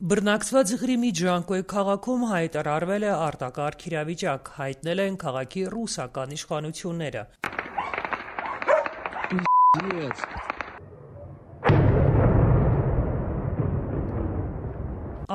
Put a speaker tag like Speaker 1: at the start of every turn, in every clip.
Speaker 1: Բռնակցված Ղրիմի Ջանկոյ քաղաքում հայտարարվել է արտակարգ իրավիճակ, հայտնել են քաղաքի ռուսական իշխանությունները։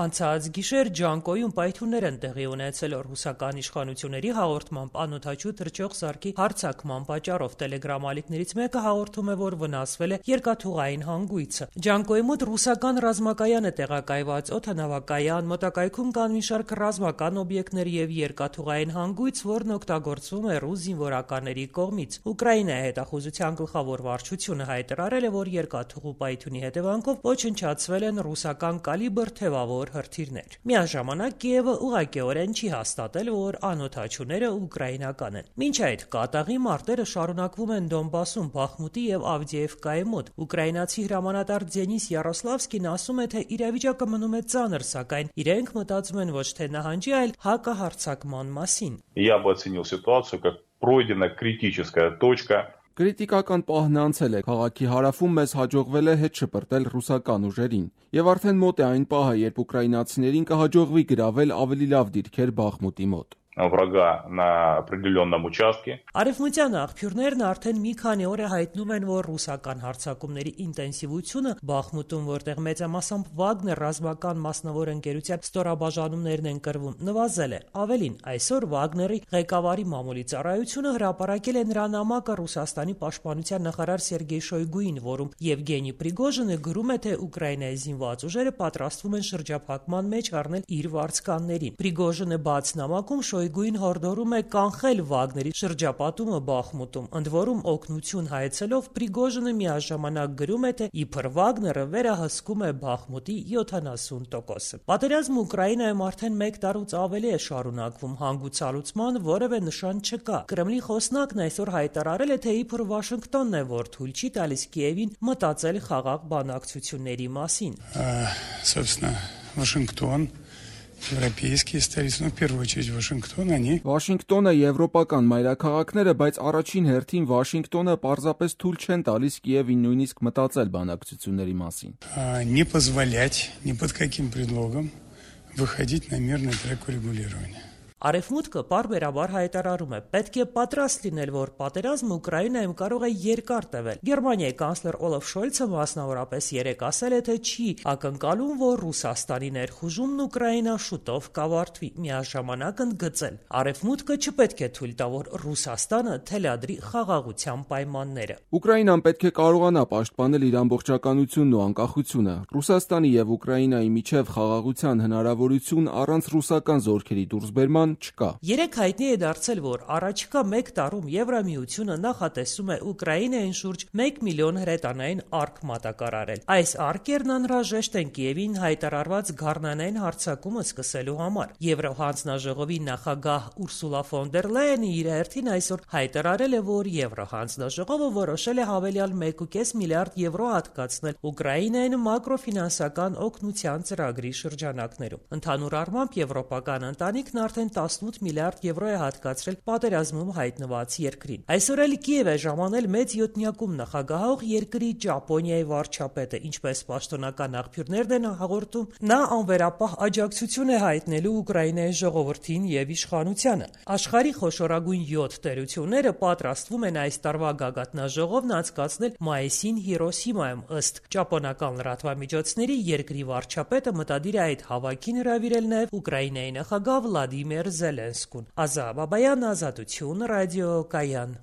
Speaker 1: Անցած գիշեր Ջանկոյում պայթյուններ են տեղի ունեցել ռուսական իշխանությունների հաղորդմամբ անօդաչու թռչող սարքի հարձակման պատճառով տելեգրամ-ալիքներից մեկը հաղորդում է, որ վնասվել է երկաթուղային հանգույցը։ Ջանկոյի մոտ ռուսական ռազմակայան է տեղակայված, օդանավակայան, մոտակայքում կան մի շարք ռազմական օբյեկտներ եւ երկաթուղային հանգույց, որն օգտագործվում է ռուս զինվորականների կողմից։ Ուկրաինայի հետախուզության գլխավոր վարչությունը հայտարարել է, որ երկաթուղու պայթյունի հետևանքով ոչնչացվել են ռուսական կալիբր թևավոր հրթիռներ։ Միաժամանակ Կիևը ուղղակիորեն չի հաստատել, որ անօդաչուները ուկրաինական են։ Մինչ այդ կատաղի մարտերը շարունակվում են Դոնբասում, Բախմուտի եւ Ավդիևկայի մոտ։ Ուկրաինացի հրամանատար Դենիս Յարոսլավսկին ասում է, թե իրավիճակը մնում է ծանր, սակայն իրենք մտածում են ոչ թե նահանջի, այլ հակահարձակման մասին։
Speaker 2: Я бы оценил ситуацию как пройдена критическая точка.
Speaker 3: Կրիտիկական պահն անցել է, քաղաքի հարավում մեզ հաջողվել է հետ շպրտել ռուսական ուժերին, եւ արդեն մոտ է այն պահը, երբ ուկրաինացիներին կհաջողվի գրավել ավելի լավ դիրքեր Բախմուտի մոտ։
Speaker 2: Врага на определенном участке.
Speaker 1: Արևմտյան աղբյուրներն արդեն մի քանի օր է հայտնում են, որ ռուսական հարձակումների ինտենսիվությունը Բախմուտում, որտեղ մեծամասամբ Վագներ ռազմական մասնավոր ընկերության ստորաբաժանումներն են կրվում, նվազել է։ Ավելին, այսօր Վագների ղեկավարի մամուլի ծառայությունը հրապարակել է նրա նամակը Ռուսաստանի պաշտպանության նախարար Սերգեյ Շոյգուին, որում Եվգենի Պրիգոժինը գրում է, թե Ուկրաինայի զինված ուժերը պատրաստվում են շրջափակման մեջ առնել իր վարձկաններին։ Պրիգոժինը բաց նամակում Շոյգուին հորդորում է կանխել Վագների շրջապատումը Բախմուտում, ընդ որում օգնություն հայցելով Պրիգոժինը միաժամանակ գրում է, թե իբր Վագները վերահսկում է Բախմուտի 70%-ը։ Պատերազմը Ուկրաինայում արդեն 1 տարուց ավելի է շարունակվում, հանգուցալուծման որևէ նշան չկա։ Կրեմլի խոսնակն այսօր հայտարարել է, թե իբր Վաշինգտոնն է, որ թույլ չի տալիս Կիևին մտածել խաղաղ բանակցությունների մասին։
Speaker 4: Собственно, Вашингтон, европейские столицы, в первую очередь Вашингтон, они...
Speaker 3: Վաշինգտոնը եվրոպական մայրաքաղաքները, բայց առաջին հերթին Վաշինգտոնը պարզապես թույլ չեն տալիս Կիևին նույնիսկ մտածել բանակցությունների մասին։
Speaker 4: Не позволять ни под каким предлогом выходить на мирный трек урегулирования.
Speaker 1: Արևմուտքը պարբերաբար հայտարարում է, պետք է պատրաստ լինել, որ պատերազմը Ուկրաինայում կարող է երկար տևել։ Գերմանիայի կանցլեր Օլաֆ Շոլցը մասնավորապես երեկ ասել է, թե չի ակնկալում, որ Ռուսաստանի ներխուժումն Ուկրաինա շուտով կավարտվի, միաժամանակ ընդգծել. Արևմուտքը չպետք է թույլ տա, որ Ռուսաստանը թելադրի խաղաղության պայմանները։
Speaker 3: Ուկրաինան պետք է կարողանա պաշտպանել իր ամբողջականությունն ու անկախությունը։ Ռուսաստանի եւ Ուկրաինայի միջև խաղաղության հնարավորություն առանց ռուսական զորքերի դուրսբերման չկա։
Speaker 1: Երեք հայտնի է դարձել, որ առաջիկա 1 տարում Եվրամիությունը նախատեսում է Ուկրաինային շուրջ 1 միլիոն հրետանային արկ մատակարարել։ Այս արկերն անհրաժեշտ են Կիևին հայտարարված գառնանային հարձակումը սկսելու համար։ Եվրոհանձնաժողովի նախագահ Ուրսուլա ֆոն դեր Լայենը իր հերթին այսօր հայտարարել է, որ Եվրոհանձնաժողովը որոշել է հավելյալ 1.5 միլիարդ եվրո հատկացնել Ուկրաինային մակրոֆինանսական օգնության ծրագրի շրջանակներում։ Ընդհանուր առմամբ եվրոպական ընտանիքն արդեն 18 միլիարդ եվրո է հատկացրել պատերազմում հայտնված երկրին։ Այսօր էլ Կիև է ժամանել մեծ յոթնյակում նախագահող երկրի Ճապոնիայի վարչապետը, ինչպես պաշտոնական աղբյուրներն են հաղորդում, նա անվերապահ աջակցություն է հայտնելու Ուկրաինայի ժողովրդին եւ իշխանությանը։ Աշխարհի խոշորագույն 7 տերությունները պատրաստվում են այս տարվա գագաթնաժողովն անցկացնել մայիսին Հիրոսիմայում, ըստ ճապոնական լրատվամիջոցների երկրի վարչապետը մտադիր է այդ հավաքին հրավիրել նաեւ Ուկրաինայի նախագահ Վլադիմիր Զելենսկուն։ Ազա Բաբայան, Ազատություն, ռադիո Կայան։